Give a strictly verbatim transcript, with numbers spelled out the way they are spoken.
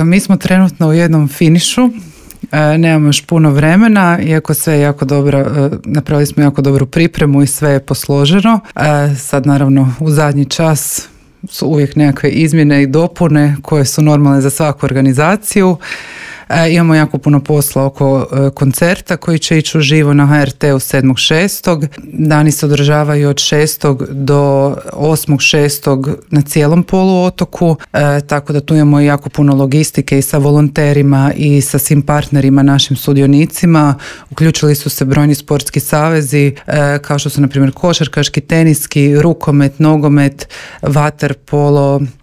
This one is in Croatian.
Mi smo trenutno u jednom finišu. E, nemamo još puno vremena, iako sve je jako dobro, e, napravili smo jako dobru pripremu i sve je posloženo. E, sad naravno u zadnji čas su uvijek nekakve izmjene i dopune koje su normalne za svaku organizaciju. E, imamo jako puno posla oko e, koncerta koji će ići uživo na ha er te-u sedmog šestog Dani se održavaju od šestog do osmog šestog na cijelom poluotoku, e, tako da tu imamo jako puno logistike i sa volonterima i sa svim partnerima, našim sudionicima. Uključili su se brojni sportski savezi, e, kao što su na primjer košarkaški, teniski, rukomet, nogomet, vaterpolo,